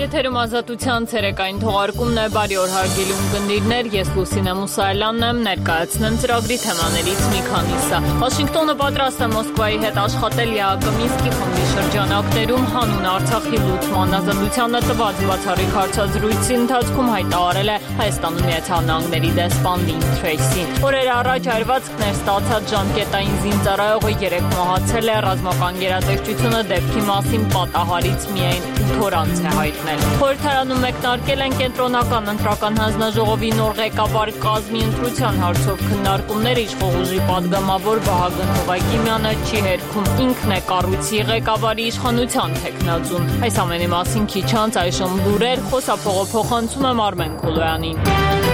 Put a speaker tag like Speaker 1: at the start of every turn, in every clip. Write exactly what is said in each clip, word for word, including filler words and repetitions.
Speaker 1: Եթերում ազատության ցերեկային թողարկումն է, բարի օր հարգելի ունկնդիրներ, ես Լուսինե Մուսայելյանն եմ, ներկայացնեմ ծրագրի թեմաներից մի քանիսը։ Վաշինգտոնը պատրաստ է Մոսկվայի հետ աշխատել ԵԱՀԿ Մինսկի խմբի շրջանակներում հանուն Արցախի լուծման ազատությանը տված բացառիկ հարցազրույցի ընթացքում հայտարարել է Հայաստանում Միացյալ Նահանգների դեսպան Լին Թրեյսին։ Օրեր առաջ այրվածքներ ստացած ժամկետային զինծառայողը երեկ մահացել է, ռազմական գերատեսչությունը դեպքի մասին պատահարից միայն ութ օր անց է հայտնել։ Խորհրդարանում մեկնարկել են կենտրոնական ընտրական հանձնաժողովի նոր ղեկավար կազմի ընտրության հարցով քննարկումները, իշխող ուժի падգամավոր Վահագն Հովակիմյանը չի հերքում, ինքն է կառույցի ղեկավարի իշխանության թեկնածուն։ Այս ամենի մասին քիչ անց այժմ լուրեր, խոսափողը փոխանցում եմ Արմեն Քոլոյանին։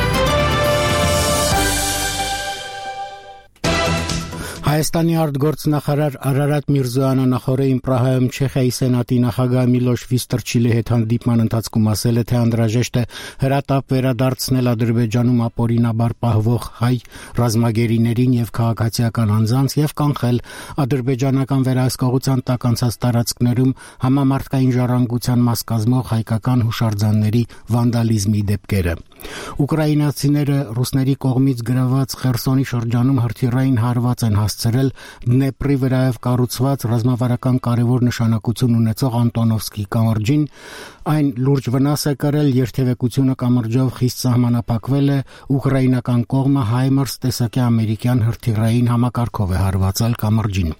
Speaker 2: Հայաստանի արտգործնախարար Արարատ Միրզոյանը նախորդին Պրահայում Չեխիայի սենատի նախագահ Միլոշ Վիստրչիլի հետ հանդիպման ընթացքում ասել է, թե անհրաժեշտ է հրատապ վերադարձնել Ադրբեջանում ապօրինաբար պահվող հայ ռազմագերիներին եւ քաղաքացիական անձանց եւ կանխել ադրբեջանական վերահսկողության տակ անցած տարածքներում համամարտկային ժառանգության մաս կազմող հայկական հուշարձանների վանդալիզմի դեպքերը։ Ուկրաինացիները ռուսների կողմից գրաված Խերսոնի շրջանում հրթիռային հարված են հասցրել Դնեպրի վրայով կառուցված ռազմավարական կարևոր նշանակություն ունեցող Անտոնովսկի կամրջին, այն լուրջ վնաս է կրել, երթևեկությունը կամրջով խիստ սահմանափակվել է, ուկրաինական կողմը Հայմարս տեսակի ամերիկյան հրթիռային համակարգով է հարվածել կամրջին։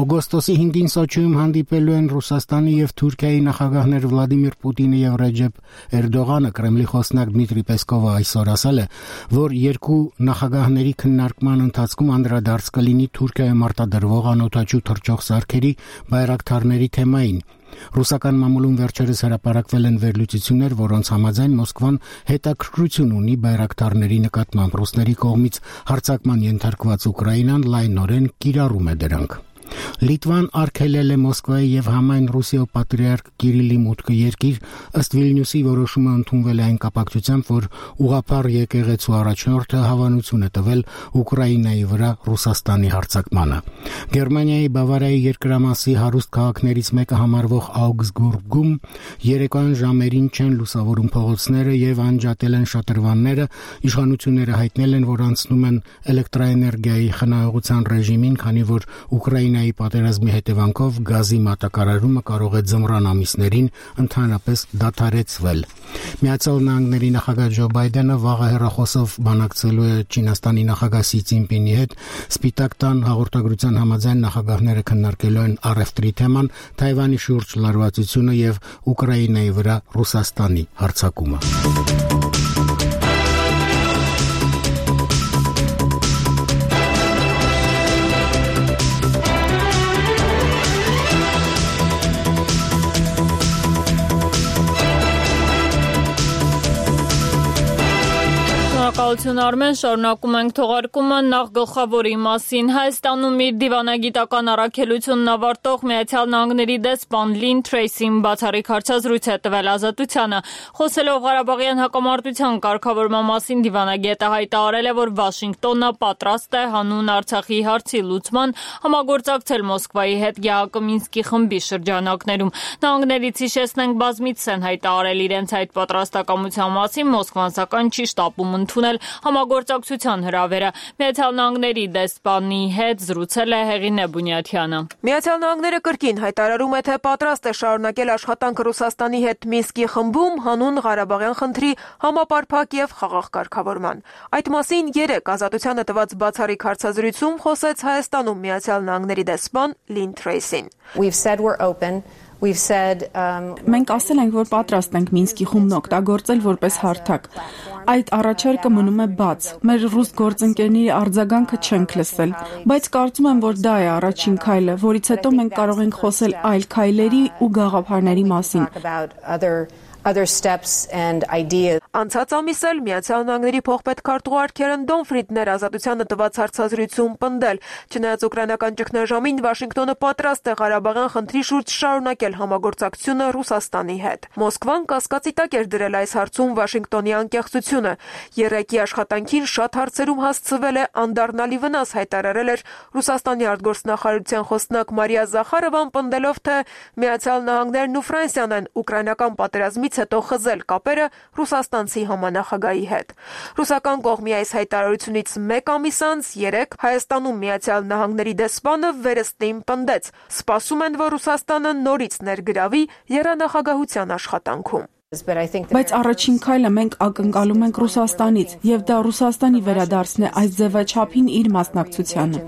Speaker 2: Օգոստոսի հինգին Սոչիում հանդիպելու են Ռուսաստանի եւ Թուրքիայի նախագահներ Վլադիմիր Պուտինը եւ Ռեջեփ Էրդողանը։ Կրեմլի խոսնակ Դմիտրի Պեսկովը այսօր ասել է, որ երկու նախագահների քննարկման ընթացքում անդրադարձ կլինի Թուրքիայում արտադրվող անօդաչու թռչող սարքերի բայրակթարների թեմային։ Ռուսական մամուլում վերջերս հրապարակվել են վերլուծություններ, որոնց համաձայն Մոսկվան հետաքրքրություն ունի բայրակթարների նկատմամբ։ Ռուսների կողմից հարձակման ենթարկված Ուկրաինան լայնորեն կիրառում է դրանք։ Լիտվան արգելել է Մոսկվայի եւ համայն Ռուսիայի պատրիարք Կիրիլի մուտքը երկիր, ըստ Վիլնյուսի որոշումը ընդունվել է այն կապակցությամբ, որ ուղղափառ եկեղեցու առաջնորդը հավանություն է տվել Ուկրաինայի վրա Ռուսաստանի հարձակմանը։ Գերմանիայի Բավարիայի երկրամասի հարուստ քաղաքներից մեկը համարվող Աուգսբուրգում երեկոյան ժամերին չեն լուսավորում փողոցները եւ անջատել են շատրվանները։ Իշխանությունները հայտնել են, որ անցնում են էլեկտրաէներգիայի խնայողության ռեժիմին, քանի որ Ուկրաինայի պատերազմի հետևանքով գազի մատակարարումը կարող է ձմռան ամիսներին ընդհանրապես դադարեցվել։ Միացյալ Նահանգների նախագահ Ջո Բայդենը վաղը հեռախոսով բանակցելու է Չինաստանի նախագահ Սի Ցինպինի հետ։ Սպիտակ տան հաղորդագրության համաձայն նախագահները քննարկելու են առևտրի թեման, Թայվանի շուրջ լարվածությունը եւ Ուկրաինայի վրա Ռուսաստանի հարձակումը։
Speaker 1: Շնորհակալություն Արմեն, շարունակում ենք թողարկումը նախ գլխավորի մասին։ Հայաստանում իր դիվանագիտական առաքելությունն ավարտող Միացյալ Նահանգների դեսպան Լին Թրեյսին բացառիկ հարցազրույց է տվել Ազատությանը։ Խոսելով Ղարաբաղյան հակամարտության կարգավորման մասին, դիվանագետը հայտարարել է, որ Վաշինգտոնը պատրաստ է հանուն Արցախի հարցի լուծման համագործակցել Մոսկվայի հետ ԵԱՀԿ Մինսկի խմբի շրջանակներում։ Նահանգներից հիշեցնենք, բազմիցս են հայտարարել իրենց այդ պատրաստակամության մասին, Մոսկվան սակայն չի շտապում ընդունել համագործակցության հրավերը։ Միացյալ Նահանգների դեսպանի հետ զրուցել է Հեղինե Բունյաթյանը։
Speaker 3: Միացյալ Նահանգները կրկին հայտարարում է, թե պատրաստ է շարունակել աշխատանքը Ռուսաստանի հետ Մինսկի խմբում հանուն Ղարաբաղյան խնդրի համապարփակ եւ խաղաղ կարգավորման։ Այդ մասին երեկ Ազատությանը տված բացառիկ հարցազրույցում խոսեց Հայաստանում Միացյալ Նահանգների դեսպան Լին Թրեյսին։
Speaker 4: We've said we're open. We've said um
Speaker 5: Մենք ասել ենք, որ պատրաստ ենք Մինսկի խումբն օգտագործել որպես հարթակ։ Այդ առաջարկը մնում է բաց։ Մեր ռուս գործընկերների արձագանքը չենք լսել, բայց կարծում եմ, որ դա է առաջին քայլը, որից հետո մենք կարող ենք խոսել այլ քայլերի ու գաղափարների մասին։
Speaker 4: other steps and ideas.
Speaker 3: Անցած ամիս էլ Միացյալ Նահանգների փոխպետքարտուղար Քերեն Դոնֆրիդն էր Ազատությանը տված հարցազրույցում պնդել, չնայած ուկրաինական ճգնաժամին Վաշինգտոնը պատրաստ է Ղարաբաղյան խնդրի շուրջ շարունակել համագործակցությունը Ռուսաստանի հետ։ Մոսկվան կասկածի տակ էր դրել այս հարցում Վաշինգտոնի անկեղծությունը։ Երեկի աշխատանքին շատ հարցերում հասցվել է անդառնալի վնաս, հայտարարել էր Ռուսաստանի արտգործնախարարության խոսնակ Մարիա Զախարովան, պնդելով, թե Միացյալ Նահանգներն ու Ֆրանսիան են ուկրաինական պատերազմից դրանից հետո խզել կապերը ռուսաստանցի համանախագահի հետ։ Ռուսական կողմի այս հայտարարությունից մեկ ամիս անց երեկ Հայաստանում Միացյալ Նահանգների դեսպանը վերստին պնդեց. սպասում են, որ Ռուսաստանը նորից ներգրավի եռանախագահության աշխատանքում։
Speaker 5: Բայց առաջին քայլը մենք ակնկալում ենք Ռուսաստանից, եւ դա Ռուսաստանի վերադարձն է այս ձևաչափին իր մասնակցությանը։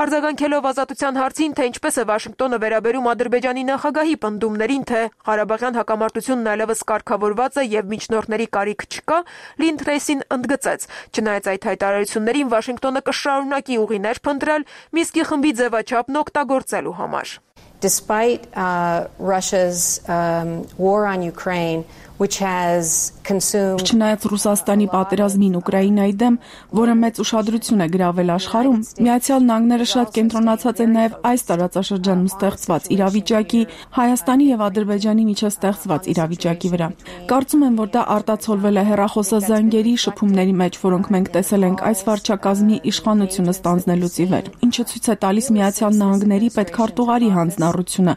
Speaker 3: Արձագանքելով Ազատության հարցին, թե ինչպես է Վաշինգտոնը վերաբերում Ադրբեջանի նախագահի պնդումներին, թե Ղարաբաղյան հակամարտությունն այլևս կարգավորված է եւ միջնորդների կարիք չկա, Լին Թրեյսին ընդգծեց. չնայած այդ հայտարարություններին Վաշինգտոնը կշարունակի ուղիներ փնտրել Մինսկի խմբի ձևաչափն օգտագործելու համար։
Speaker 4: Despite uh, Russia's um, war on Ukraine, which has consumed
Speaker 5: Չնայած Ռուսաստանի պատերազմին Ուկրաինայի դեմ, որը մեծ ուշադրություն է գրավել աշխարհում, Միացյալ Նահանգները շատ կենտրոնացած է նաև այս տարածաշրջանում ստեղծված իրավիճակի, Հայաստանի եւ Ադրբեջանի միջև ստեղծված իրավիճակի վրա։ Կարծում եմ, որ դա արտացոլվել է հեռախոսազանգերի շփումների մեջ, որոնք մենք տեսել ենք այս վարչակազմի իշխանությունը ստանձնելուց ի վեր, ինչը ցույց է տալիս Միացյալ Նահանգների պետքարտուղարի հանձնառությունը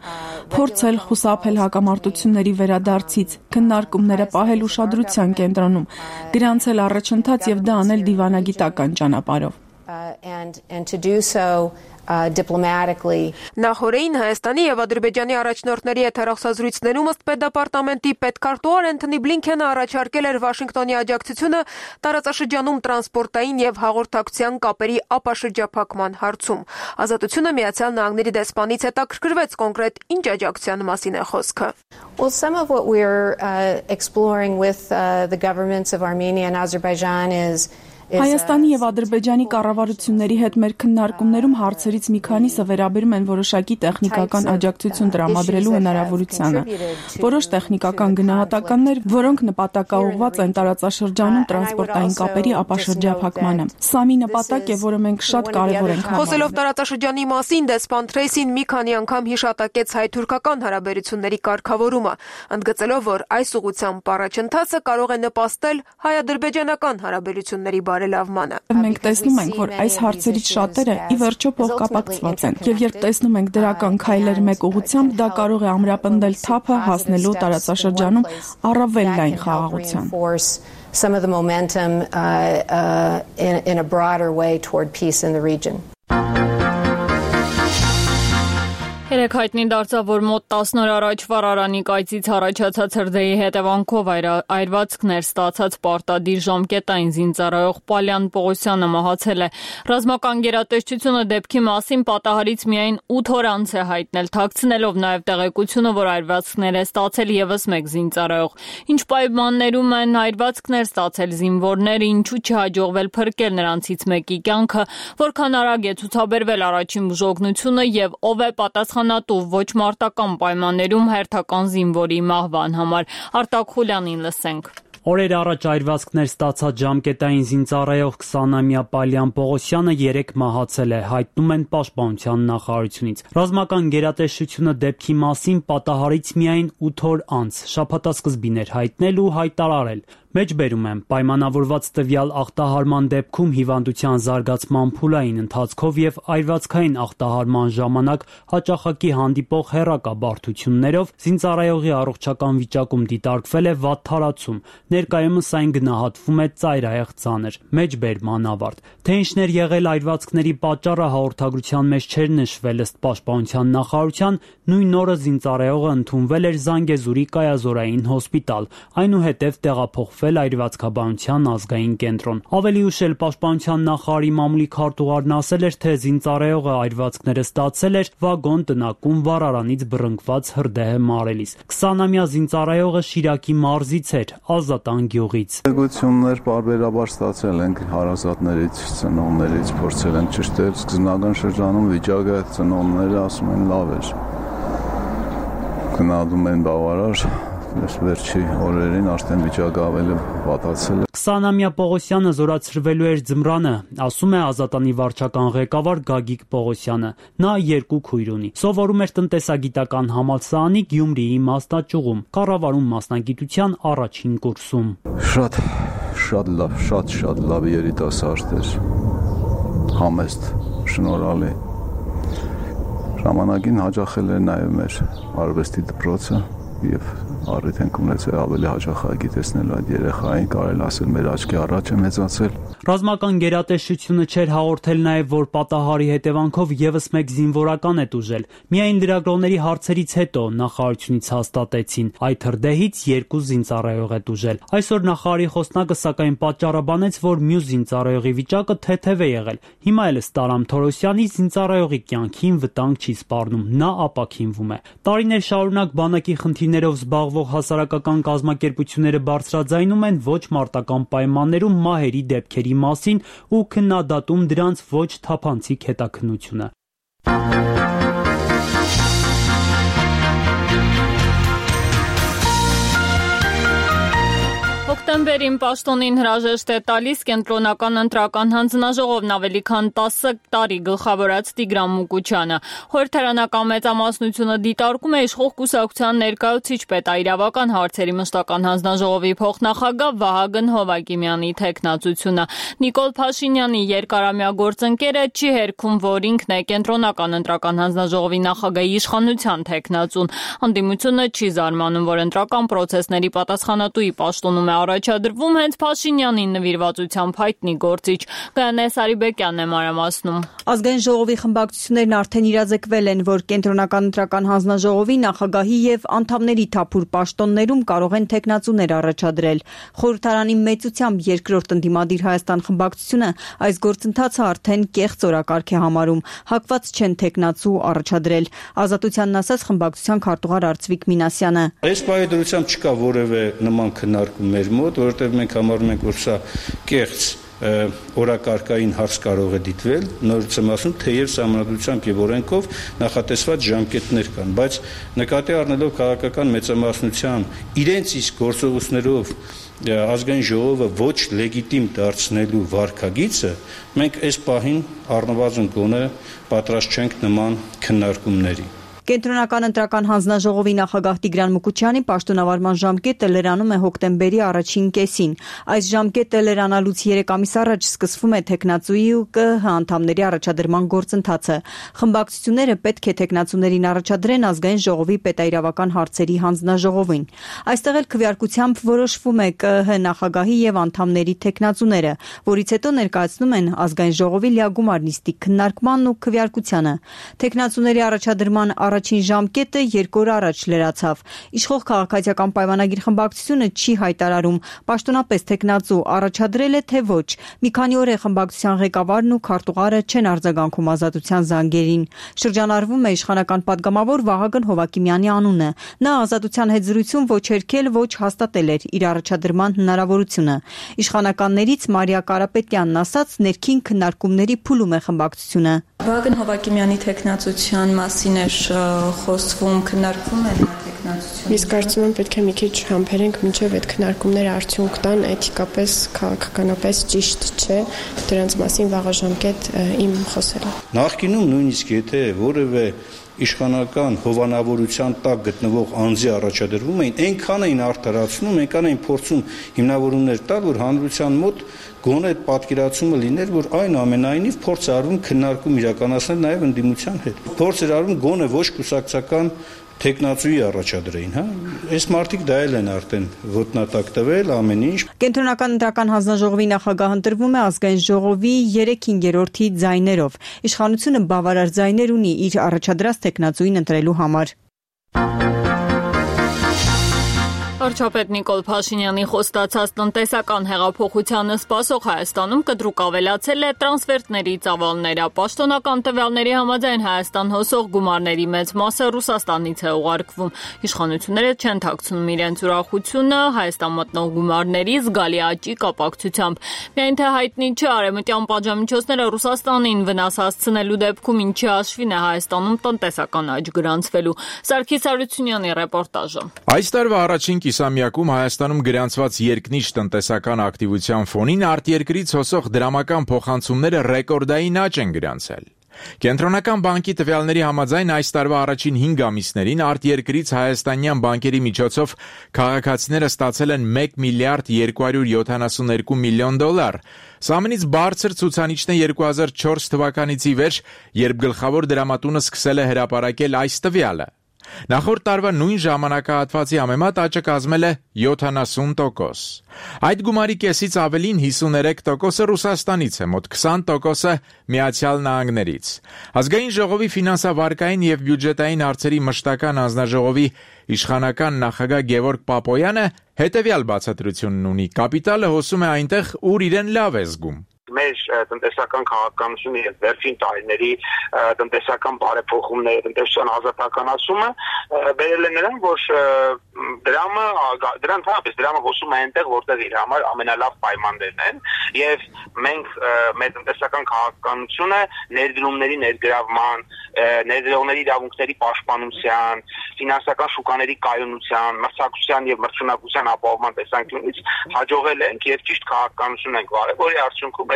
Speaker 5: փորձել խուսափել հակամարտությունների վերադարձից, քննարկումները պահել ուշադրության կենտրոնում, գրանցել առաջընթաց եւ դա անել դիվանագիտական ճանապարհով։
Speaker 4: and and to do so uh, diplomatically.
Speaker 3: Նախորդին Հայաստանի եւ Ադրբեջանի առաջնորդների հետ հեռախոսազրույցներում ըստ պետդեպարտամենտի պետքարտուղար Անթոնի Բլինքենը առաջարկել էր Վաշինգտոնի աջակցությունը տարածաշրջանում տրանսպորտային եւ հաղորդակցության կապերի ապաշրջափակման հարցում։ Ազատությունը Միացյալ Նահանգների դեսպանից հետաքրքրվեց կոնկրետ ինչ աջակցության մասին է խոսքը։
Speaker 4: Well, some of what we're uh, exploring with uh, the governments of Armenia and Azerbaijan is
Speaker 5: Հայաստանի եւ Ադրբեջանի կառավարությունների հետ մեր քննարկումներում հարցերից մի քանիսը վերաբերում են որոշակի տեխնիկական աջակցություն տրամադրելու հնարավորությանը։ Որոշ տեխնիկական գնահատականներ, որոնք նպատակաուղղված են տարածաշրջանում տրանսպորտային կապերի ապաշրջափակմանը։ Սա մի նպատակ է, որը մենք շատ կարևոր ենք համարում։
Speaker 3: Խոսելով տարածաշրջանի մասին, դեսպան Թրեյսին մի քանի անգամ հիշատակեց հայ-թուրքական հարաբերությունների կարգավորումը, ընդգծելով, որ այս ուղղությամբ առաջընթացը կարող է նպաստել հայ-ադրբեջանական հարաբերությունների բարելավմանը։
Speaker 5: Մենք տեսնում ենք, որ այս հարցերից շատերը ի վերջո փոխկապակցված են, եւ երբ տեսնում ենք դրական քայլեր մեկ ուղղությամբ, դա կարող է ամրապնդել թափը հասնելու տարածաշրջանում առավել լայն խաղաղության։
Speaker 4: Some of the momentum uh, uh, in, in a broader way toward peace in the region.
Speaker 1: Երեք հայտնի դարձավ, որ մոտ տասն օր առաջ Վարարանի կայծից առաջացած հրդեհի հետևանքով այրվածքներ ստացած պարտադիր ժամկետային զինծառայող Պալյան Պողոսյանը մահացել է։ Ռազմական գերատեսչությունը դեպքի մասին պատահարից միայն ութ օր անց է հայտնել, թաքցնելով նաև տեղեկությունը, որ այրվածքներ է ստացել ևս մեկ զինծառայող։ Ինչ պայմաններում են այրվածքներ ստացել զինվորները, ինչու չհաջողվել փրկել նրանցից մեկի կյանքը, որքան արագ է ցուցաբերվել առաջին բուժօգնությունը եւ ով է պատասխանատու ոչ մարտական պայմաններում հերթական զինվորի մահվան համար։ Արտակ Խուլյանին լսենք։
Speaker 6: Օրեր առաջ այրվածքներ ստացած ժամկետային զինծառայող քսանամյա Պալյան Պողոսյանը երեկ մահացել է, հայտնում են Պաշտպանության նախարարությունից։ Ռազմական գերատեսչությունը դեպքի մասին պատահարից միայն ութ օր անց շաբաթասկզբին էր հայտնել ու հայտարարել։ Մեջբերում եմ, պայմանավորված տվյալ ախտահարման դեպքում հիվանդության զարգացման փուլային ընթացքով եւ այրվածքային ախտահարման ժամանակ հաճախակի հանդիպող հեռակաբարդություններով զինծառայողի առողջական վիճակում դիտարկվել է վատթարացում, ներկայումս այն գնահատվում է ծայրահեղ ծանր, մեջբերման ավարտ։ Թե ինչն էր եղել այրվածքների պատճառը հաղորդագրության մեջ չէր նշվել ըստ Պաշտպանության նախարարության, նույն օրը զինծառայողը ընդունվել էր Զանգեզուրի կայազորային հոսպիտալ, այնուհետև տեղափոխվել այրվածքաբանության ազգային կենտրոն։ Ավելի ուշ էլ Պաշտպանության նախարարի մամուլի քարտուղարն ասել էր, թե զինծառայողը այրվածքները ստացել էր վագոն տնակում Վարարանից բռնկված հրդեհը մարելիս։ քսանամյա զինծառայողը Շիրակի մարզից էր, Ազատան գյուղից։
Speaker 7: Տեղեկություններ պարբերաբար ստացել ենք հարազատներից, ծնողներից, փորձել ենք ճշտել սկզբնական շրջանում վիճակը, ծնողները ասում են լավ էր։ Գնահատում են բավարար, վերջի օրերին արդեն վիճակը ավելի վատացել է։
Speaker 6: քսանամյա Պողոսյանը զորացրվելու էր ձմռանը, ասում է Ազատանի վարչական ղեկավար Գագիկ Պողոսյանը։ Նա երկու քույր ունի։ Սովորում էր տնտեսագիտական համալսարանի Գյումրիի մասնաճյուղում, կառավարում մասնագիտության առաջին կուրսում։
Speaker 7: Շատ, շատ լավ, շատ, շատ լավ երիտասարդ էր։ Համեստ, շնորհալի։ Ժամանակին հաջողել էր նաև մեր արվեստի դպրոցը, եւ առիթ ենք ունեցել ավելի հաճախակի տեսնել այդ երեխային, կարելի ասել մեր աչքի առաջ է մեծացել։
Speaker 6: Ռազմական գերատեսչությունը չէր հաղորդել նաև, որ պատահարի հետևանքով եւս մեկ զինվորական է տուժել։ Միայն լրագրողների հարցերից հետո նախարարությունից հաստատեցին, այդ հրդեհից երկու զինծառայող է տուժել։ Այսօր նախարարի խոսնակը սակայն պատճառաբանեց, որ մյուս զինծառայողի վիճակը թեթև է եղել։ Հիմա էլ ըստ Արամ Թորոսյանի զինծառայողի կյանքին վտանգ չի սպառնում, նա ապաքինվում է։ Տարիներ շարունակ բանակի խնդիրներով զբաղվող հասարակական կազմակերպությունները բարձրաձայնում են ոչ մարտական պայմաններում մահերի դեպքերի մասին ու քննադատում դրանց ոչ թափանցիկ հետաքննությունը։
Speaker 1: Հոկտեմբերին պաշտոնին հրաժեշտ է տալիս կենտրոնական ընտրական հանձնաժողովն ավելի քան տասը տարի գլխավորած Տիգրան Մուկուչյանը։ Խորհրդարանական մեծամասնությունը դիտարկում է իշխող կուսակցության ներկայացուցիչ պետաիրավական հարցերի մշտական հանձնաժողովի փոխնախագահ Վահագն Հովակիմյանի թեկնածությունը։ Նիկոլ Փաշինյանի երկարամյա գործընկերը չի հերքում, որ ինքն է կենտրոնական ընտրական հանձնաժողովի նախագահի իշխանության թեկնածուն։ Անդիմությունը չի զարմանում, որ ընտրական պրոցեսների պատասխանատուի պաշտոնում է առաջադրվում հենց Փաշինյանին նվիրվածությամբ հայտնի գործիչ։ Գայանե Սարիբեկյանն է մանրամասնում։
Speaker 8: Ազգային ժողովի խմբակցություններն արդեն իրազեկվել են, որ կենտրոնական ընտրական հանձնաժողովի նախագահի եւ անդամների թափուր պաշտոններում կարող են թեկնածուներ առաջադրել։ Խորհրդարանի մեծությամբ երկրորդ ընդդիմադիր Հայաստան խմբակցությունը այս գործընթացը արդեն կեղծ օրակարգ է համարում, հակված չեն թեկնածու առաջադրել։ Ազատությանն ասաց խմբակցության քարտուղար Արծվիկ Մինասյանը։
Speaker 9: Այս պայմանությամբ չկա որևէ նման քննարկում մեր մոտ, որովհետև մենք համարում ենք, որ սա կեղծ օրակարգային հարց կարող է դիտվել, նորից եմ ասում, թեև սահմանադրությամբ եւ օրենքով նախատեսված ժամկետներ կան, բայց նկատի առնելով քաղաքական մեծամասնության իրենց իսկ գործողություններով ազգային ժողովը ոչ լեգիտիմ դարձնելու վարքագիծը, մենք այս պահին առնվազն գոնե պատրաստ չենք նման քննարկումների։
Speaker 8: Կենտրոնական ընտրական հանձնաժողովի նախագահ Տիգրան Մուկուչյանի պաշտոնավարման ժամկետը լրանում է հոկտեմբերի առաջին կեսին։ Այս ժամկետը լրանալուց երեք ամիս առաջ սկսվում է թեկնածուի ու ԿԸՀ անդամների առաջադրման գործընթացը։ Խմբակցությունները պետք է թեկնածուներին առաջադրեն ազգային ժողովի պետաիրավական հարցերի հանձնաժողովին։ Այստեղ էլ քվեարկությամբ որոշվում է ԿԸՀ նախագահի եւ անդամների թեկնածուները, որից հետո ներկայացնում են ազգային ժողովի լիագումար նիստի քննարկմանն ու քվեարկությանը։ Թեկնածուների առաջադրման առաջին ժամկետը երկու օր առաջ լրացավ։ Իշխող քաղաքացիական պայմանագիր խմբակցությունը չի հայտարարում պաշտոնապես թեկնածու առաջադրել է թե ոչ։ Մի քանի օր է խմբակցության ղեկավարն ու քարտուղարը չեն արձագանքում ազատության զանգերին։ Շրջանառվում է իշխանական падգամավոր Վահագն Հովակիմյանի անունը։ Նա ազատության հետ զրույցում ոչ հերքել, ոչ հաստատել էր իր առաջադրման հնարավորությունը։ Իշխանականներից Մարիա Կարապետյանն ասաց, ներքին քննարկումների փուլում է խմբակցությունը։
Speaker 10: Վահագն Հովակիմյանի թեկնածության մասին է խոսվում, քննարկվում է նա թեկնածությունը։
Speaker 11: Իսկ կարծում եմ պետք է մի քիչ համբերենք, մինչև այդ քննարկումները արդյունք տան, էթիկապես, քաղաքականապես ճիշտ չէ դրանց մասին վաղաժամկետ իմ խոսելը։
Speaker 9: Նախկինում նույնիսկ եթե որևէ իշխանական հովանավորության տակ գտնվող անձի առաջադրվում էին, այնքան էին արդարացնում, այնքան էին փորձում հիմնավորումներ տալ, որ հանրության մոտ գոնե այդ պատկերացումը լիներ, որ այնուամենայնիվ փորձ արվում քննարկում իրականացնել նաև ընդդիմության հետ։ Փորձ էր արվում գոնե ոչ կուսակցական թեկնածուի առաջադրեին, հա։ Այս մարդիկ դա էլ են արդեն ոտնատակ տվել ամեն ինչ։
Speaker 8: Կենտրոնական ընտրական հանձնաժողովի նախագահ ընտրվում է ազգային ժողովի երեք հինգերորդի ձայներով։ Իշխանությունը բավարար ձայներ ունի իր առաջադրած թեկնածուին ընտրելու համար։
Speaker 1: Վարչապետ Նիկոլ Փաշինյանի խոստացած տնտեսական հեղափոխությանը սպասող Հայաստանում կտրուկ ավելացել է տրանսֆերտների ծավալները։ Պաշտոնական տվյալների համաձայն Հայաստան հոսող գումարների մեծ մասը Ռուսաստանից է ուղարկվում։ Իշխանությունները չեն թաքցնում իրենց ուրախությունը Հայաստան մտնող գումարների զգալի աճի կապակցությամբ։ Միայն թե հայտնի չէ արևմտյան պատժամիջոցները Ռուսաստանին վնաս հասցնելու դեպքում ինչի հաշվին է Հայաստանում տնտեսական աճ գրանցվելու։ Սարգիս Արությունյանի ռեպորտաժը։
Speaker 12: Այս տարվա առաջին կիսամյակում Հայաստանում գրանցված երկնիշ տնտեսական ակտիվության ֆոնին արտերկրից հոսող դրամական փոխանցումները ռեկորդային աճ են գրանցել։ Կենտրոնական բանկի տվյալների համաձայն այս տարվա առաջին հինգ ամիսներին արտերկրից հայաստանյան բանկերի միջոցով քաղաքացիները ստացել են մեկ միլիարդ երկու հարյուր յոթանասունհինգ միլիոն դոլար։ Սա ամենից բարձր ցուցանիշն է երկու հազար չորս թվականից ի վեր, երբ գլխավոր դրամատունը սկսել է հրապարակել այս տվյալը։ Նախորդ տարվա նույն ժամանակահատվածի համեմատ աճը կազմել է յոթանասուն տոկոս։ Այդ գումարի կեսից ավելին հիսուներեք տոկոսը Ռուսաստանից է, մոտ քսան տոկոսը Միացյալ Նահանգներից։ Ազգային ժողովի ֆինանսավարկային եւ բյուջետային հարցերի մշտական հանձնաժողովի իշխանական նախագահ Գևորգ Պապոյանը հետեւյալ բացատրությունն ունի. կապիտալը հոսում է այնտեղ, ուր իրեն լավ է զգում։
Speaker 13: Մեր տնտեսական քաղաքականությունը եւ վերջին տարիների տնտեսական բարեփոխումները, տնտեսական ազատականացումը բերել է նրան, որ դրամը դրան թափից դրամը հոսում է այնտեղ, որտեղ իր համար ամենալավ պայմաններն են եւ մենք մեր տնտեսական քաղաքականությունը ներդրումների ներգրավման, ներդրողների իրավունքների պաշտպանության, ֆինանսական շուկաների կայունության, մրցակցության եւ մրցունակության ապահովման տեսանկյունից հաջողել ենք եւ ճիշտ քաղաքականություն ենք վարել, որի արդյունքում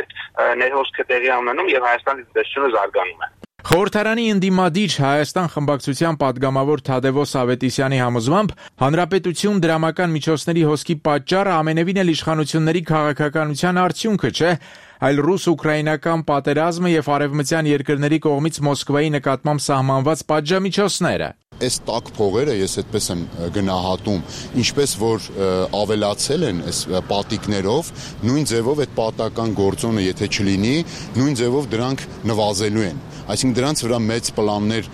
Speaker 13: ներհոսքը տեղի ունենում եւ Հայաստանի տնտեսությունը զարգանում է։
Speaker 12: Խորհրդարանի ընդդիմադիր Հայաստան խմբակցության падգամավոր Թադևոս Ավետիսյանի համոզմամբ հանրապետություն դրամական միջոցների հոսքի պատճառը ամենևին էլ իշխանությունների քաղաքականության արդյունքը չէ, այլ ռուս-ուկրաինական պատերազմը եւ արևմտյան երկրների կողմից Մոսկվայի նկատմամբ սահմանված պատժամիջոցները։
Speaker 14: Այս տաք փողերը ես այդպես եմ գնահատում, ինչպես որ ավելացել են այս պատիկներով, նույն ձևով այդ պատական գործոնը եթե չլինի, նույն ձևով դրանք նվազելու են։ Այսինքն դրանց վրա մեծ պլաններ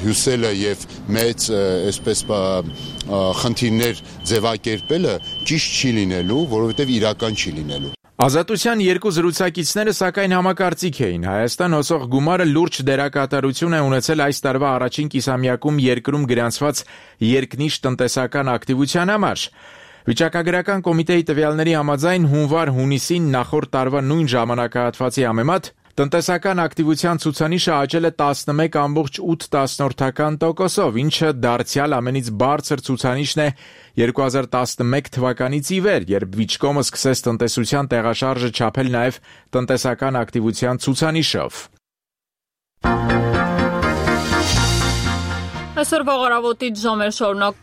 Speaker 14: հյուսելը եւ մեծ այսպես խնդիրներ ձևակերպելը ճիշտ չի լինելու, որովհետեւ իրական չի լինելու։
Speaker 12: Ազատության երկու զրուցակիցները սակայն համակարծիք էին։ Հայաստան հոսող գումարը լուրջ դերակատարություն է ունեցել այս տարվա առաջին կիսամյակում երկրում գրանցված երկնիշ տնտեսական ակտիվության համար։ Վիճակագրական կոմիտեի տվյալների համաձայն հունվար-հունիսին նախորդ տարվա նույն ժամանակահատվածի համեմատ տնտեսական ակտիվության ցուցանիշը աճել է տասնմեկ կόμma ութ տոկոսով, ինչը դարձյալ ամենից բարձր ցուցանիշն է երկու հազար տասնմեկ թվականից ի վեր, երբ Վիճկոմը սկսեց տնտեսության տեղաշարժը չափել նաև տնտեսական ակտիվության ցուցանիշով։
Speaker 1: Այսօր վաղարավոտից ժամեր շարունակ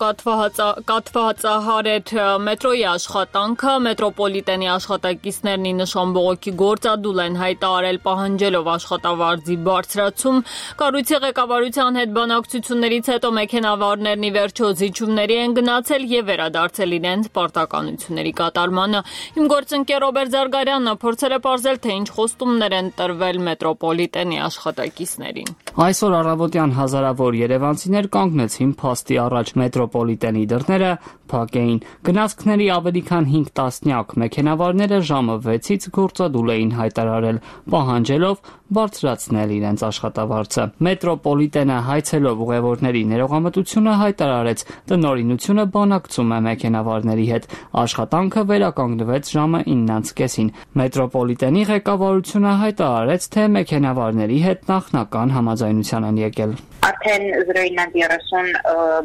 Speaker 1: կաթվածահար էր մետրոյի աշխատանքը, մետրոպոլիտենի աշխատակիցներն ի նշան բողոքի գործադուլ են հայտարարել պահանջելով աշխատավարձի բարձրացում, կառույցի ղեկավարության հետ բանակցություններից հետո մեքենավարներն ի վերջո զիջումների են գնացել եւ վերադարձել իրենց պարտականությունների կատարմանը։ Իմ գործընկեր Ռոբերտ Զարգարյանը փորձել է պարզել, թե ինչ խոստումներ են տրվել մետրոպոլիտենի աշխատակիցներին։
Speaker 6: Այսօր առավոտյան հազարավոր երևանցիներ կանգնեցին փաստի առաջ, մետրոպոլիտենի դռները փակ էին։ Գնացքների ավելի քան հինգ տասնյակ մեքենավարները ժամը վեցից գործադուլ էին հայտարարել, պահանջելով բարձրացնել իրենց աշխատավարձը։ Մետրոպոլիտենը հայցելով ուղևորների ներողամտությունը հայտարարեց, տնօրինությունը բանակցում է մեքենավարների հետ։ Աշխատանքը վերականգնվեց ժամը իննից կեսին։ Մետրոպոլիտենի ղեկավարությունը հայտարարեց, թե մեքենավարների հետ նախնական համաձայնության են եկել։
Speaker 15: Արդեն զրոյինան երեսուն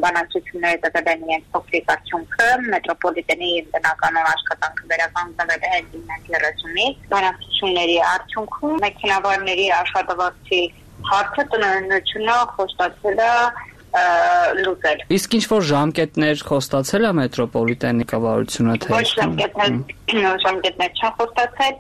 Speaker 15: բանակցությունները տվել են իրենց փոքրիկ արդյունքը, մետրոպոլիտենի տնականոն աշխատանքը վերականգնվել է իննից երեսունից, բանակցությունների արդյունքում մեքենավարների աշխատավարձի հարցը տնօրինությունը խոստացել է լուծել։
Speaker 6: Իսկ ինչ որ ժամկետներ խոստացել է մետրոպոլիտենի ղեկավարությունը, թե
Speaker 15: ոչ ժամկետներ ժամկետներ չեն խոստացել,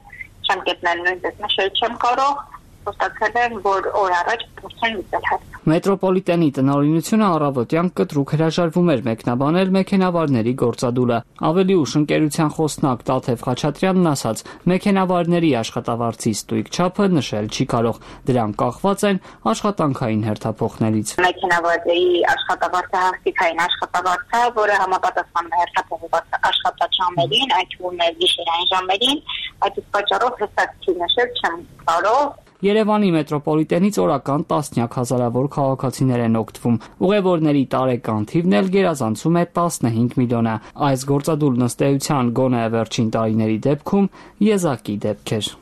Speaker 15: ժամկետներ նույնպես նշել չեմ կարող, խոստացել են, որ օր առաջ փորձեն լուծել հարցը։
Speaker 6: Մետրոպոլիտենի տնօրինությունը առավոտյան կտրուկ հրաժարվում էր մեկնաբանել մեքենավարների գործադուլը։ Ավելի ուշ ընկերության խոսնակ Տաթև Խաչատրյանն ասաց, մեքենավարների աշխատավարձի ստույգ չափը նշել չի կարող, դրանք կախված են աշխատանքային հերթափոխներից։
Speaker 15: Մեքենավարների աշխատավարձը հաստիկային աշխատավարձ է, որը համապատասխանում է հերթափոխված աշխատաճամերին, այդ թվում է գիշերային ժամերին, այդ պատճառով հստակ չի նշել չեմ կարող։
Speaker 6: Երևանի մետրոպոլիտենից օրական տասնյակ հազարավոր քաղաքացիներ են օգտվում։ Ուղևորների տարեկան թիվն էլ գերազանցում է տասնհինգ միլիոնը։ Այս գործադուլն ըստ էության գոնե վերջին տարիների դեպքում եզակի դեպք էր։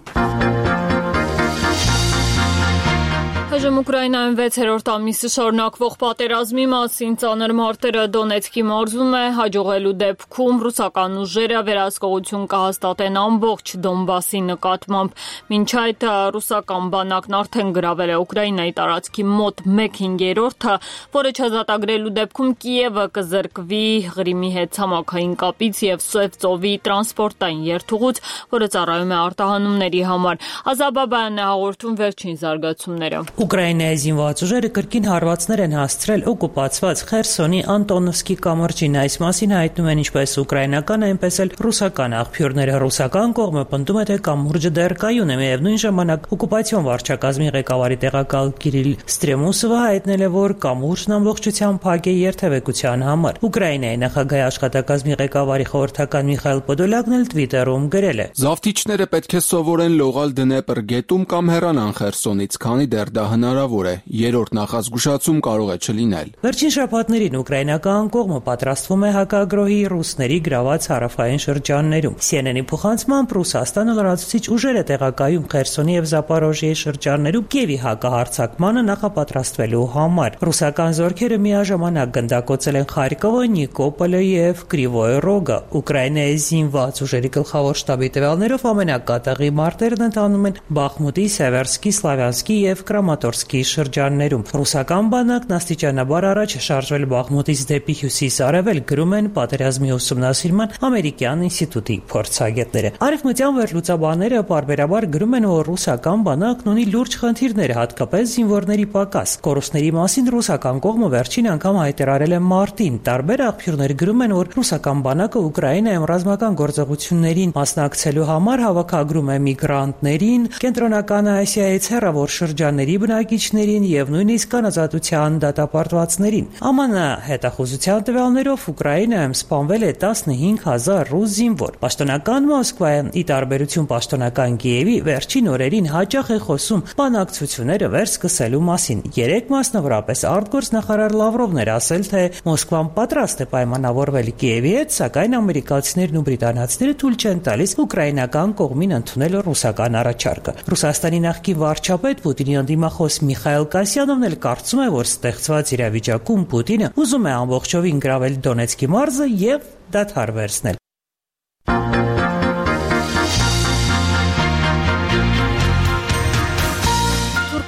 Speaker 1: Այժմ Ուկրաինայում վեցերորդ ամիսը շարունակվող պատերազմի մասին ծանր մարտերը Դոնեցկի մարզում է հաջողելու դեպքում ռուսական ուժերը վերահսկողություն կհաստատեն ամբողջ Դոնբասի նկատմամբ։ Մինչ այդ ռուսական բանակն արդեն գրավել է Ուկրաինայի տարածքի մոտ մեկ հինգերորդը, որը չազատագրելու դեպքում Կիևը կզրկվի Ղրիմի հետ ցամաքային կապից եւ Սև ծովի տրանսպորտային երթուղուց, որը ծառայում է արտահանումների համար։ Ազաբաբայանն է հաղորդում վերջին զարգացումները։
Speaker 16: Ուկրաինայի զինված ուժերը կրկին հարվածներ են հասցրել օկուպացված Խերսոնի Անտոնովսկի կամրջին։ Այս մասին հայտնում են ինչպես ուկրաինական, այնպես էլ ռուսական աղբյուրները։ Ռուսական կողմը պնդում է, թե կամուրջը դեռ կայուն է։ Միևնույն ժամանակ օկուպացիոն վարչակազմի ղեկավարի տեղակալ Կիրիլ Ստրեմուսովը հայտնել է, որ կամուրջն ամբողջությամբ փակ է երթևեկության համար։ Ուկրաինայի նախագահի աշխատակազմի ղեկավարի խորհրդական Միխայել Պոդոլյակն էլ Twitter-ում գրել է.
Speaker 17: Զավթիչները պետք է սովորեն լողալ Դնեպր գետում կամ հեռանան Խերսոնից, քանի դեռ դա հնարավոր է։ Երրորդ նախազգուշացում կարող է չլինել։
Speaker 16: Վերջին շաբաթներին ուկրաինական կողմը պատրաստվում է հակագրոհի ռուսների գրաված հարավային շրջաններում։ C N N-ի փոխանցմամբ Ռուսաստանը լրացուցիչ ուժեր է տեղակայում Խերսոնի եւ Զապորոժիեի շրջաններում Կիևի հակահարձակմանը նախապատրաստվելու համար։ Ռուսական զորքերը միաժամանակ գնդակոծել են Խարկովը, Նիկոպոլը եւ Կրիվոյ Ռոգը։ Ուկրաինայի զինված ուժերի գլխավոր շտաբի տվյալներով ամենակատաղի մարտերն ընթանում են Բախմուտի, Սևերսկի, Սլավյանսկի եւ Կրամատորսկի շրջաններում։ Ռուսական բանակն աստիճանաբար առաջ է շարժվել Բախմուտից դեպի հյուսիս-արևել, գրում են պատերազմի ուսումնասիրման ամերիկյան ինստիտուտի փորձագետները։ Արևմտյան վերլուծաբանները պարբերաբար գրում են, որ ռուսական բանակն ունի լուրջ խնդիրներ, հատկապես զինվորների պակաս։ Կորուստների մասին ռուսական կողմը վերջին անգամ հայտարարել է մարտին։ Տարբեր աղբյուրներ գրում են, որ ռուսական բանակը Ուկրաինայում ռազմական գործողություններին մասնակցելու համար հավաքագրում է միգրանտներին, Կենտրոնական Ասիայից հեռավոր շրջանների բնակիչներին եւ նույնիսկ անազատության դատապարտվածներին։ Am N հետախուզության տվյալներով Ուկրաինայում սպանվել է տասնհինգ հազար ռուս զինվոր։ Պաշտոնական Մոսկվայը, ի տարբերություն պաշտոնական Կիևի, վերջին օրերին հաճախ է խոսում բանակցությունները վերսկսելու մասին։ Երեք մասնավորապես արտգործնախարար Լավրովն էր ասել, թե Մոսկվան պատրաստ է պայմանավորվել Կիևի հետ, սակայն ամերիկացիներն ու բրիտանացիները թույլ չեն տալիս ուկրաինական կողմին ընդունել ռուսական առաջարկը։ Ռուսաստանի նախկին վարչապետ Պուտինի անդիմախոս Միխայել Կասյանովն էլ կարծում է, որ ստեղծված իրավիճակում Պուտինը ուզում է ամբողջովին գրավել Դոնեցկի մարզը եւ դադար վերցնել։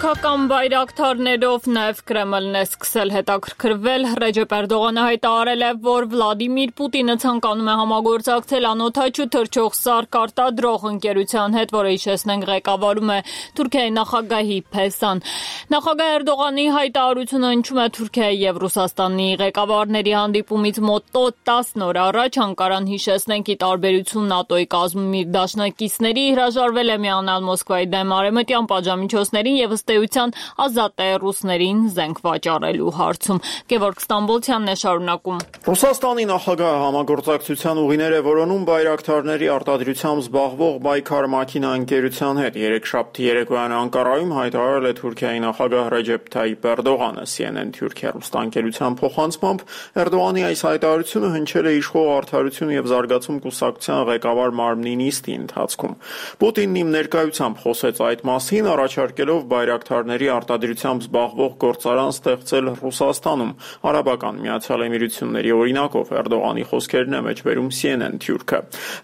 Speaker 1: Թուրքական բայրակթարներով նաև Կրեմլն է սկսել հետաքրքրվել։ Ռեջեփ Էրդողանը հայտարարել է, որ Վլադիմիր Պուտինը ցանկանում է համագործակցել անօդաչու թռչող սարք արտադրող ընկերության հետ, որը հիշեցնենք ղեկավարում է Թուրքիայի նախագահի Փեսան։ Նախագահ Էրդողանի հայտարարությունը հնչում է Թուրքիայի եւ Ռուսաստանի ղեկավարների հանդիպումից մոտ տասն օր առաջ։ Անկարան, հիշեցնենք, ի տարբերություն ՆԱՏՕ-ի կազմում իր դաշնակիցների, հրաժարվել է միանալ Մոսկվայի դեմ արևմտյան պատժամիջոցներին եւ ըստ էության ազատ է ռուսներին զենք վաճառելու հարցում։ Գևորգ Ստամբոլցյանն է շարունակում։
Speaker 18: Ռուսաստանի նախագահը համագործակցության ուղիներ է որոնում բայրակթարների արտադրությամբ զբաղվող Բայքար Մաքինա ընկերության հետ։ Երեքշաբթի երեկոյան Անկարայում հայտարարել է Թուրքիայի նախագահ Ռեջեփ Թայիփ Էրդողանը։ C N N Թուրքիա ռուստանկերության փոխանցմամբ Էրդողանի այս հայտարարությունը հնչել է իշխող Արդարություն եւ զարգացում կուսակցության ղեկավար Մարմնի նիստի ընթացքում։ Պուտինն իմ ներկայությամբ խոսեց այդ մասին, առաջարկելով բայրակթարների արտադրությամբ զբաղվող գործարան ստեղծել Ռուսաստանում, Արաբական Միացյալ Էմիրությունների օրինակով։ Էրդողանի խոսքերն է մեջբերում C N N Թուրքը։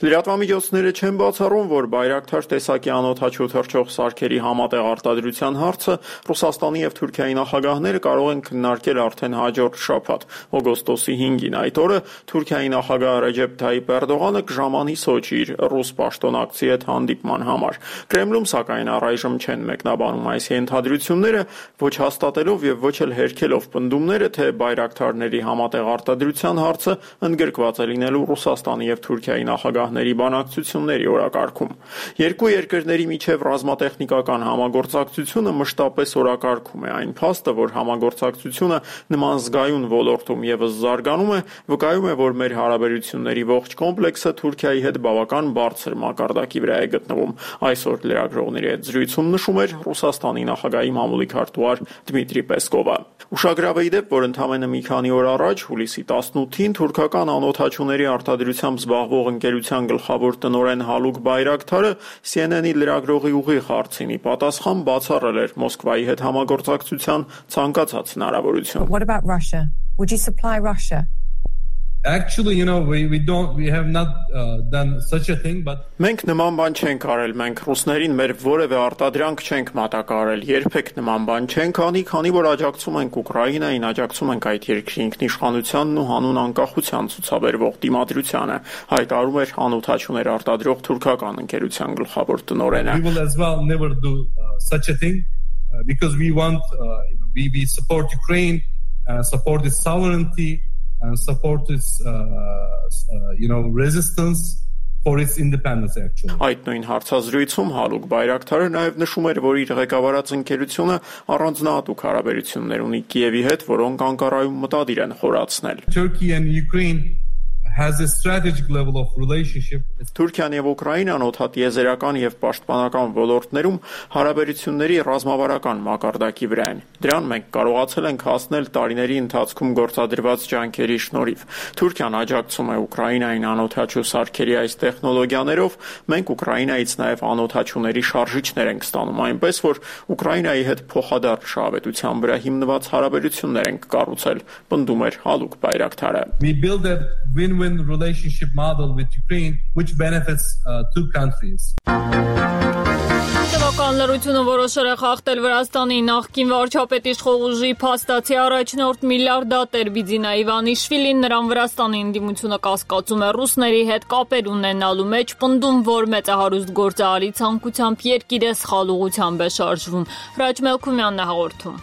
Speaker 18: Լրատվամիջոցները չեն բացառում, որ բայրակթար տեսակի անօդաչու թռչող սարքերի համատեղ արտադրության հարցը Ռուսաստանի եւ Թուրքիայի նախագահները կարող են քննարկել արդեն հաջորդ շաբաթ, օգոստոսի հինգին։ Այդ օրը Թուրքիայի նախագահ Ռեջեփ Թայիփ Էրդողանը կժամանի Սոչի իր ռուս պաշտոնակցի հետ հանդիպման համար։ Կրեմլում, սակայն, առայժմ չեն մեկնաբանում այս ենթադրությունները, ոչ հաստատելով եւ ոչ էլ հերքելով պնդումները, թե բայրակթարների համատեղ արտադրության հարցը ընդգրկված է լինելու Ռուսաստանի եւ Թուրքիայի նախագահների բանակցությունների օրակարգում։ Երկու երկրների միջև ռազմատեխնիկական համագործակցությունը մշտապես օրակարգում է։ Այն փաստը, որ համագործակցությունը նման զգայուն ոլորտում եւս զարգանում է, վկայում է, որ մեր հարաբերությունների ողջ կոմպլեքսը Թուրքիայի հետ բավական բարձր մակարդակի վրա է գտնվում։ Այսօր լրագրողների հետ զրույցում նշում էր Ռուսաստանի նախագահի մամուլի քարտուղար Դմիտրի Պեսկովը։ Ուշագրավ է ի դեպ, որ ընդամենը մի քանի օր առաջ, հուլիսի տասնութին, թուրքական անօդաչուների արտադրությամբ զբաղվող ընկերության գլխավոր տնօրեն Հալուկ Բայրակթարը C N N-ի լրագրողի ուղիղ հարցին ի պատասխան բացառել էր Մոսկվայի հետ համագործակցության ցանկացած հնարավորություն։
Speaker 19: What about Russia? Would you supply Russia?
Speaker 20: Actually, you know, we we don't we have not uh, done such a thing, but
Speaker 18: Մենք նման բան չենք արել, մենք ռուսներին մեր որևէ արտադրանք չենք մատակարարել, երբեք նման բան չենք անի, քանի որ աջակցում ենք Ուկրաինային, աջակցում ենք այդ երկրի ինքնիշխանությանն ու հանուն անկախության ցուցաբերվող դիմադրությանը, հայտարարում էր անօդաչուներ արտադրող թուրքական ընկերության գլխավոր տնօրենը։
Speaker 20: We will as well never do uh, such a thing. uh, because we want, uh, you know, we, we support Ukraine, uh, support its sovereignty, and support its, uh, uh, you know, resistance for its independence actually.
Speaker 18: Այդ նույն հարցազրույցում Հալուկ Բայրակթարը նաև նշում էր, որ իր ղեկավարած ընկերությունը առանձնահատուկ հարաբերություններ ունի Կիևի հետ, որոնք Անկարայում մտադիր են խորացնել։
Speaker 20: Turkey and Ukraine has a strategic level of relationship.
Speaker 18: Թուրքիան եւ Ուկրաինան օդատիեզերական եւ պաշտպանական ոլորտներում հարաբերությունների ռազմավարական մակարդակի վրա են։ Դրան մենք կարողացել ենք հասնել տարիների ընթացքում գործադրված ջանքերի շնորհիվ։ Թուրքիան աջակցում է Ուկրաինային անօդաչու սարքերի այս տեխնոլոգիաներով, մենք Ուկրաինայից նաեւ անօդաչուների շարժիչներ ենք ստանում, այնպես որ Ուկրաինայի հետ փոխադարձ շահավետության վրա հիմնված հարաբերություններ ենք կառուցել, պնդում էր Հալուկ Բայրակթարը։
Speaker 20: We build a win-win relationship model with Ukraine which benefits uh, two countries.
Speaker 1: Տվական լրությունը որոշել է խախտել Վրաստանի նախկին վարչապետ իշխող ուժի փաստացի առաջնորդ միլիարդատեր Բիձինա Իվանիշվիլին նրան Վրաստանի ընդդիմությունը կասկածում է ռուսների հետ կապեր ունենալու մեջ, պնդում, որ մեծահարուստ գործարարի ցանկությամբ երկիրը սխալ ուղղությամբ է շարժվում։ Հրաչ Մելքումյանն է հաղորդում։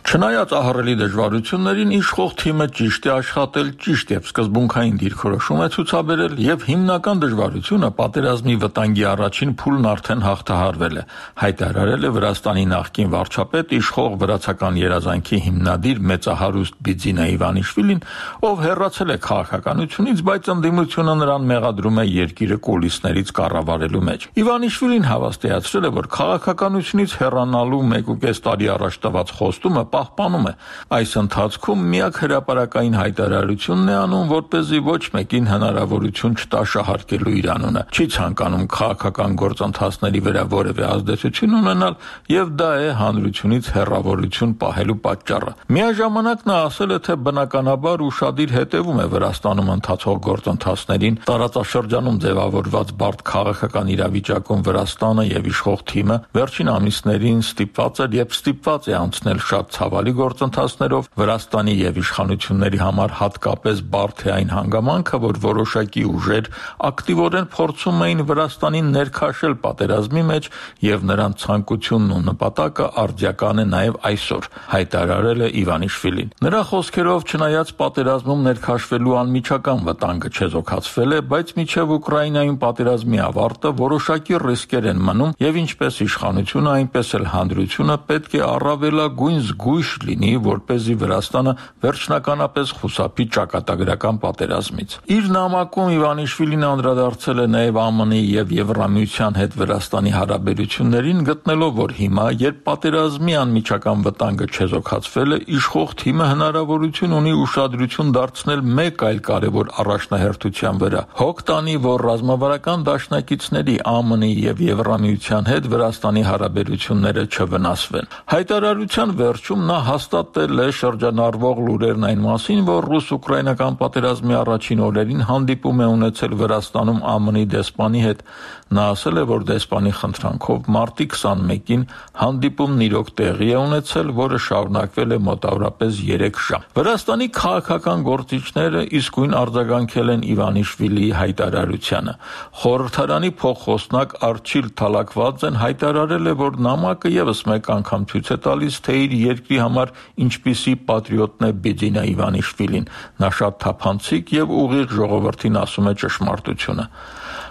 Speaker 21: Չնայած ահռելի դժվարություններին իշխող թիմը ճիշտ է աշխատել, ճիշտ եւ սկզբունքային դիրքորոշում է ցուցաբերել եւ հիմնական դժվարությունը պատերազմի վտանգի առաջին փուլն արդեն հաղթահարվել է, հայտարարել է Վրաստանի նախկին վարչապետ իշխող վրացական երազանքի հիմնադիր մեծահարուստ Բիձինա Իվանիշվիլին, ով հեռացել է քաղաքականությունից, բայց ընդդիմությունը նրան մեղադրում է երկիրը կուլիսներից կառավարելու մեջ։ Իվանիշվիլին հավաստիացրել է, որ քաղաքականությունից հեռանալու մեկ ու կես տարի առաջ տված խոստումը պահպանում է։ Այս ընթացքում միակ հրապարակային հայտարարությունն է անում, որպեսզի ոչ մեկին հնարավորություն չտա շահարկելու իր անունը։ Չի ցանկանում քաղաքական գործընթացների վրա որևէ ազդեցություն ունենալ եւ դա է հանրությունից հեռավորություն պահելու պատճառը։ Միաժամանակ նա ասել է, թե բնականաբար ուշադիր հետևում է Վրաստանում ընթացող գործընթացներին, տարածաշրջանում ձևավորված բարդ քաղաքական իրավիճակում Վրաստանը եւ իշխող թիմը վերջին ամիսներին ստիպված էր եւ ստիպված է անցնել շատ ցավալի գործընթացներով Վրաստանի եւ իշխանությունների համար հատկապես բարդ է այն հանգամանքը, որ որոշակի ուժեր ակտիվորեն փորձում էին Վրաստանին ներքաշել պատերազմի մեջ եւ նրանց ցանկությունն ու նպատակը արդյական է նաեւ այսօր, հայտարարել է Իվանիշվիլին։ Նրա խոսքերով, չնայած պատերազմում ներքաշվելու անմիջական վտանգը չեզոքացվել է, բայց միջև Ուկրաինայում պատերազմի ավարտը որոշակի ռիսկեր են մնում եւ ինչպես իշխանությունը, այնպես էլ հանրությունը պետք է առավելագույն զգույշ լինի, որպեսզի Վրաստանը վերջնականապես խուսափի ճակատագրական պատերազմից։ Իր նամակում Իվանիշվիլին անդրադարձել է նաև ԱՄՆ -ի եւ Եվրամիության հետ Վրաստանի հարաբերություններին, գտնելով, որ հիմա, երբ պատերազմի անմիջական վտանգը չեզոքացվել է, իշխող թիմը հնարավորություն ունի ուշադրություն դարձնել մեկ այլ կարևոր առաջնահերթության վրա։ Հոգ տանի, որ ռազմավարական դաշնակիցների ԱՄՆ -ի եւ Եվրամիության հետ Վրաստանի հարաբերությունները չվնասվեն։ Հայտարարության վերջում նա հաստատել է շրջանառվող լուրերն այն մասին, որ ռուս-ուկրաինական պատերազմի առաջին օրերին հանդիպում է ունեցել Վրաստանում ԱՄՆ-ի դեսպանի հետ։ Նա ասել է, որ դեսպանի խնդրանքով մարտի քսանմեկին հանդիպումն իրոք տեղի է ունեցել, որը շարունակվել է մոտավորապես երեք ժամ։ Վրաստանի քաղաքական գործիչները իսկույն արձագանքել են Իվանիշվիլիի հայտարարությանը։ Խորհրդարանի փոխխոսնակ Արչիլ Թալակվաձեն հայտարարել է, որ նամակը եւս մեկ անգամ ցույց է տալիս, թե իր երկրի համար ինչպիսի պատրիոտն է Բիձինա Իվանիշվիլին։ Նա շատ թափանցիկ եւ ուղիղ ժողովրդին ասում է ճշմարտությունը։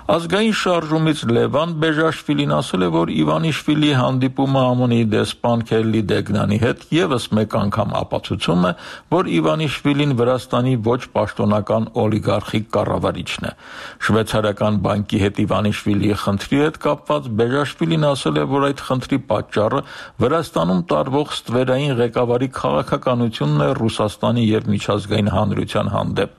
Speaker 21: Ազգային շարժումից Լևան Բեժաշվիլին ասել է, որ Իվանիշվիլիի հանդիպումը ԱՄՆ-ի դեսպան Քելլի Դեգնանի հետ եւս մեկ անգամ ապացուցում է, որ Իվանիշվիլին Վրաստանի ոչ պաշտոնական օլիգարխիկ կառավարիչն է։ Շվեյցարական բանկի հետ Իվանիշվիլիի խնդրի հետ կապված Բեժաշվիլին ասել է, որ այդ խնդրի պատճառը Վրաստանում տարվող ստվերային ղեկավարի քաղաքականությունն է Ռուսաստանի եւ միջազգային հանրության հանդեպ։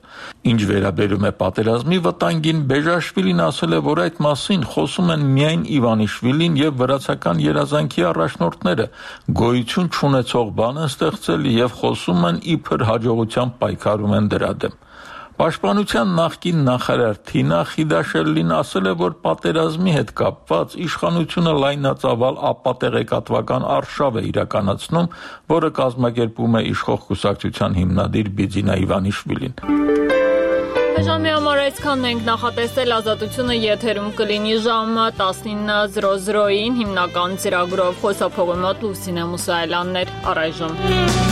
Speaker 21: Ինչ վերաբերում է պատերազմի վտանգին, Բեժաշվիլին ասել է, որ այդ մասին խոսում են միայն Իվանիշվիլին եւ վրացական երազանքի առաջնորդները, գոյություն չունեցող բան են ստեղծել եւ խոսում են իբր հաջողությամբ պայքարում են դրա դեմ։ Պաշտպանության նախկին նախարար Թինա Խիդաշելլին ասել է, որ պատերազմի հետ կապված իշխանությունը լայնածավալ ապատեղեկատվական արշավ է իրականացնում, որը կազմակերպում է իշխող կուսակցության հիմնադիր Բիձինա Իվանիշվիլին։
Speaker 1: Այժմի համար այսքանն ենք նախատեսել ազատությունը եթերում կլինի ժամը տասնինը զրո զրոյին հիմնական ծրագրով խոսափողի մոտ Լուսինե Մուսայելյանն էր առայժմ։